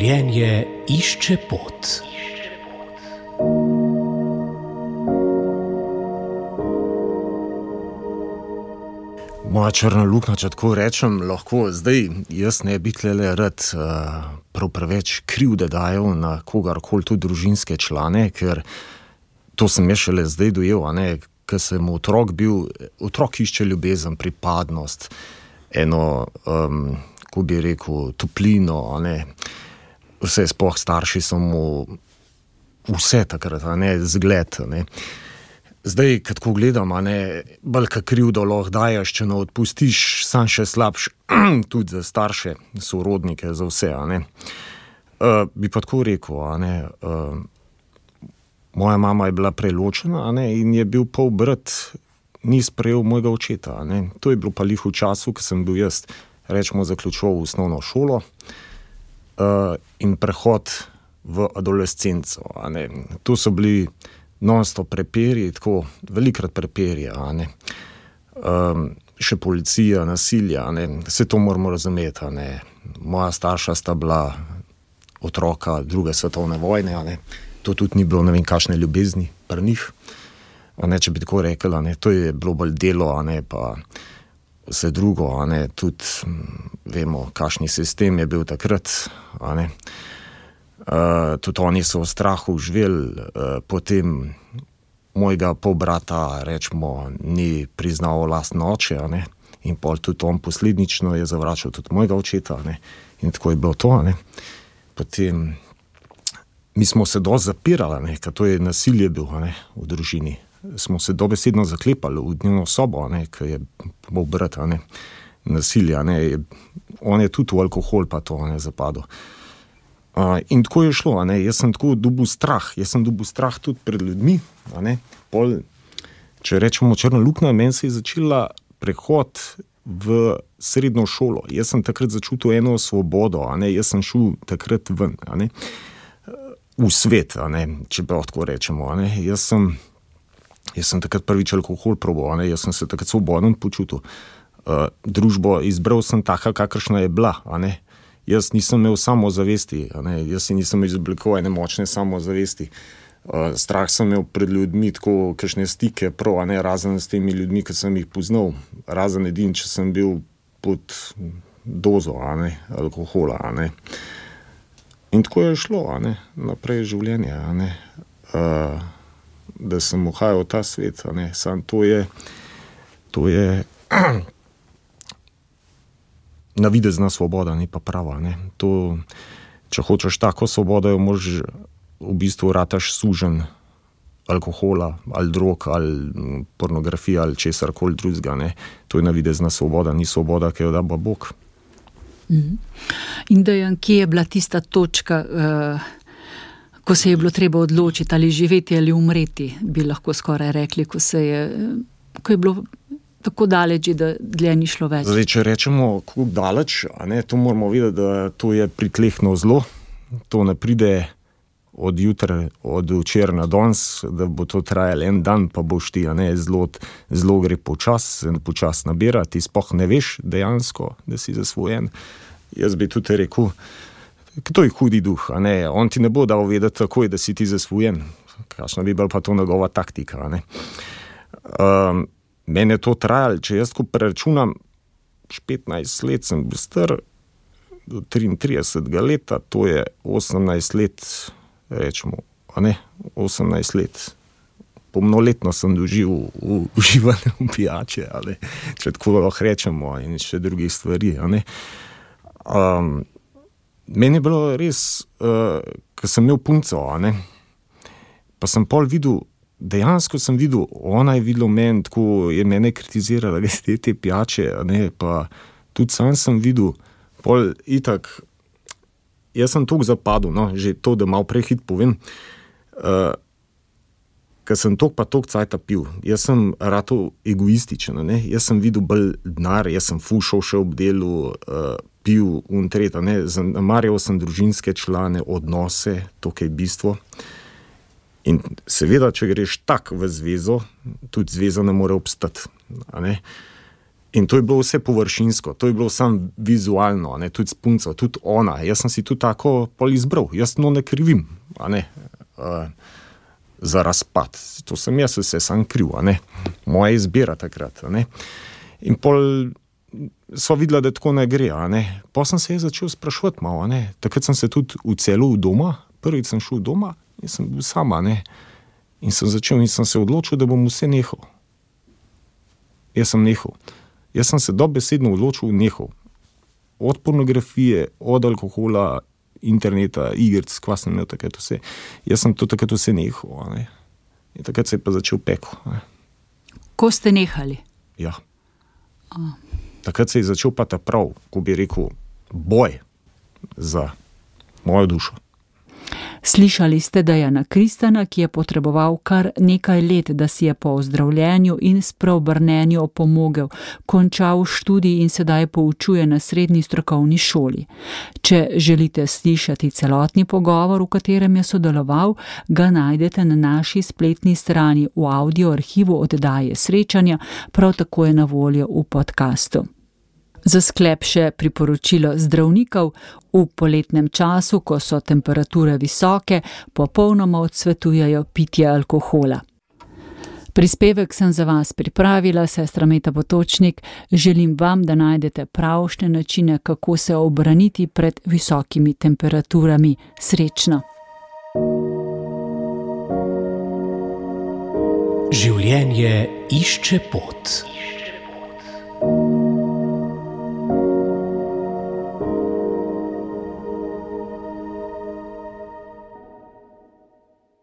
Življenje išče pot. Moja črna luknja, če tako rečem, lahko zdaj jaz ne bi tlele rad prav preveč krivde dajal na kogarkoli, tudi družinske člane, ker to sem jaz šele zdaj dojel, ker sem otrok bil, otrok išče ljubezen, pripadnost, eno, ko bi rekel, toplino, vse sploh starši so mu vse takrat, zgled, Zdaj, kad ko gledam, bolj ka krivdo lahko daješ, če ne odpustiš, sam še slabš, tudi za starše, sorodnike, za vse, Bi pa tako rekel, moja mama je bila preločena, in je bil pol brat, ni sprejel mojega očeta, To je bilo pa lih v času, ko sem bil jaz, rečemo, zaključoval osnovno šolo, in prehod v adolescenco, To so bili non-stop prepiri, tako velikrat prepiri, še policija, nasilja, vse to moramo razumeti, Moja starša sta bila otroka druge svetovne vojne, To tudi ni bilo ne vem kakšne ljubezni pri njih, če bi tako rekel, To je bilo bolj delo, pa vse drugo, tudi vemo, kakšni sistem je bil takrat, Tudi oni so v strahu živeli, potem mojega polbrata, rečemo, ni priznal lastno oče, in pol tudi on posledično je zavračal tudi mojega očeta, in tako je bilo to, Potem mi smo se dosti zapirali, ker to je nasilje bil, v družini. Smo se dobesedno zaklepali v dnevno sobo, ker je polbrat, nasilje, On je tudi v alkohol pa to, zapadel. In tako je šlo, jaz sem tako dobil strah tudi pred ljudmi, Pol, če rečemo črna luknja, meni se je začela prehod v srednjo šolo. Jaz sem takrat začutil eno svobodo, Jaz sem šel takrat ven, v svet, če prav tako rečemo, Jaz sem takrat prvič alkohol probal, Jaz sem se takrat svoboden počutil. Družbo izbral sem taka, kakršna je bila, Jaz nisem imel samozavesti, Jaz si nisem izoblikoval ene močne samozavesti. Strah sem imel pred ljudmi, tako kakšne stike prav, razen s temi ljudmi, ki sem jih poznal. Razen edin, če sem bil pod dozo, alkohola, In tako je šlo, naprej življenje, Da sem uhajal v ta svet, Sam to je navidezna svoboda, ni pa prava, To, če hočeš tako svobodo, jo moraš v bistvu rataš suženj alkohola, ali drog, ali pornografija, ali česarkoli drugega, To je navidezna svoboda, ni svoboda, ki jo da Bog. In Dejan, kje je bila tista točka, ko se je bilo treba odločiti, ali živeti ali umreti, bi lahko skoraj rekli, ko je bilo tako daleč, da dlje ni šlo več? Zdaj, če rečemo, kako daleč, to moramo vedeti, da to je pritlehno zlo, to ne pride od včeraj na danes, da bo to trajalo en dan, pa boš ti, zlo gre počas nabira, ti sploh ne veš dejansko, da si zasvojen. Jaz bi tudi rekel, to je hudi duh, on ti ne bo dal vedeti takoj, da si ti zasvojen, kakšna bi bila pa to njegova taktika, Mene je to trajalo, če jaz ko preračunam, 15 let sem bil star, do 33 leta, to je 18 let, rečemo, 18 let. Polnoletno sem doživel uživanje v pijače, če tako lahko rečemo, in še drugih stvari, Meni je bilo res, ko sem imel punco, pa sem pol videl, dejansko sem videl, ona je videla meni, tako je mene kritizirala, te pijače, pa tudi sam sem videl, pol itak, jaz sem toliko zapadel, že to, da malo prehit povem, ker sem toliko cajta pil, jaz sem ratal egoističen, jaz sem videl bolj denar, jaz sem fušal še ob delu, pil untret, zamarjal sem družinske člane, odnose, to je bistvo. In seveda, če greš tak v zvezo, tudi zveza ne more obstati, In to je bilo vse površinsko, to je bilo samo vizualno, ne, tudi s punco, tudi ona. Jaz sem si tudi tako pol izbral, jaz ne krivim, za razpad. To sem jaz vse sam kriv, moja izbira takrat. In pol sva videla, da tako ne gre. Pa sem se začel sprašovati malo. Takrat sem se tudi vcelil doma, prvič sem šel doma in sem bil sama. In sem začel in sem se odločil, da bom vse nehal. Jaz sem nehal. Jaz sem se dobesedno odločil nehal. Od pornografije, od alkohola, interneta, igric, kva sem imel takrat vse. Jaz sem to takrat vse nehal. In takrat se je pa začel peko. Ko ste nehali? Ja. Takrat se je začel pa ta prav, ko bi rekel, boj za mojo dušo. Slišali ste Dejana Kristana, ki je potreboval kar nekaj let, da si je po ozdravljenju in spreobrnenju opomogel, končal študij in sedaj poučuje na srednji strokovni šoli. Če želite slišati celotni pogovor, v katerem je sodeloval, ga najdete na naši spletni strani v audio arhivu oddaje Srečanja, prav tako je na voljo v podkastu. Za sklep še priporočilo zdravnikov: v poletnem času, ko so temperature visoke, popolnoma odsvetujejo pitje alkohola. Prispevek sem za vas pripravila, sestra Meta Potočnik. Želim vam, da najdete pravšnje načine, kako se obraniti pred visokimi temperaturami. Srečno! Življenje išče pot.